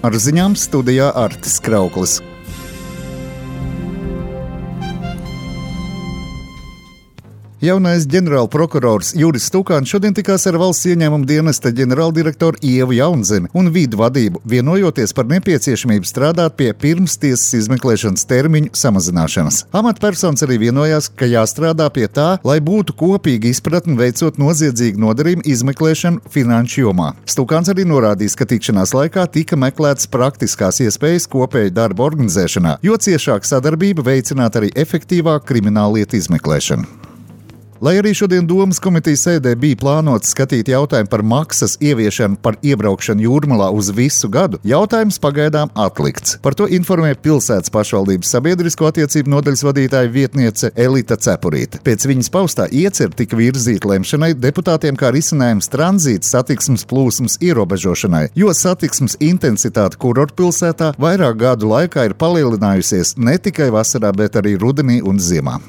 Ar ziņām studijā Artis Krauklis. Jaunais ģenerālprokurors Juris Stukāns šodien tikās ar valsts ieņēmuma dienesta ģenerāldirektoru Ievu Jaunzemi un vidu vadību, vienojoties par nepieciešamību strādāt pie pirmstiesas izmeklēšanas termiņu samazināšanas. Amatpersonas arī vienojās, ka jāstrādā pie tā, lai būtu kopīga izpratne veicot noziedzīgu nodarījumu izmeklēšanu finanšu jomā. Stukāns arī norādījis, ka tikšanās laikā tika meklētas praktiskās iespējas kopēju darbu organizēšanā, jo ciešāka sadarbība veicinātu arī efektīvāku krimināllietu izmeklēšanu. Lai arī šodien Domas komitejas sēdē bija plānots skatīt jautājumu par maksas ieviešanu par iebraukšanu Jūrmalā uz visu gadu, jautājums pagaidām atlikts. Par to informē pilsētas pašvaldības sabiedrisko attiecību nodaļas vadītāja vietniece Elita Cepurīte. Pēc viņas paustā iecer tika virzīta lemšanai deputātiem kā risinājums tranzīta satiksmes plūsmas ierobežošanai, jo satiksmes intensitāte kurortpilsētā vairāk gadu laikā ir palielinājusies ne tikai vasarā, bet arī rudenī un ziemā.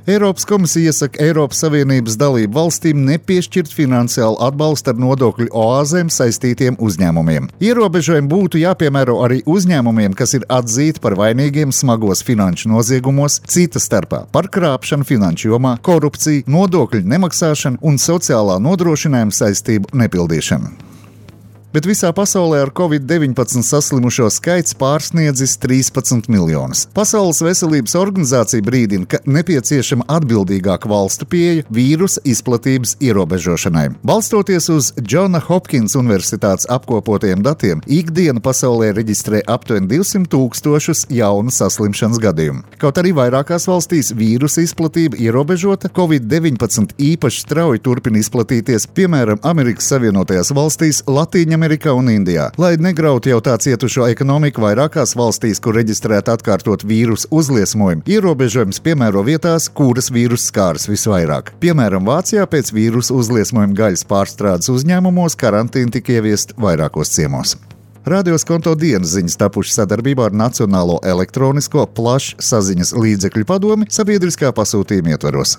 Eiropas komisija iesaka Eiropas Savienības dalību valstīm nepiešķirt finansiālu atbalstu ar nodokļu oāzēm saistītiem uzņēmumiem. Ierobežojumi būtu jāpiemēro arī uzņēmumiem, kas ir atzīti par vainīgiem smagos finanšu noziegumos, cita starpā par krāpšanu finanšu jomā, korupciju, nodokļu nemaksāšanu un sociālā nodrošinājuma saistību nepildīšanu. Bet visā pasaulē ar Covid-19 saslimušo skaits pārsniedzis 13 miljonus. Pasaules veselības organizācija brīdina, ka nepieciešama atbildīgāka valstu pieeja vīrusa izplatības ierobežošanai. Balstoties uz Džona Hopkins universitātes apkopotajiem datiem, ikdiena pasaulē reģistrē aptuveni 200,000 jaunu saslimšanas gadījumu. Kaut arī vairākās valstīs vīrusa izplatība ierobežota, Covid-19 īpaši strauji turpina izplatīties, piemēram, Amerikas Savienotajās valstīs, Latīņamerikā un Indijā. Lai negrautu jau tā cietušo ekonomiku vairākās valstīs, kur reģistrēta atkārtot vīrusu uzliesmojumu, ierobežojums piemēro vietās, kuras vīruss skāras visvairāk. Piemēram, Vācijā pēc vīrusu uzliesmojuma gaļas pārstrādes uzņēmumos karantīna tika ieviest vairākos ciemos. Radio Skonto dienas ziņas tapušas sadarbībā ar Nacionālo elektronisko plašsaziņas līdzekļu padomi sabiedriskā pasūtījuma ietvaros.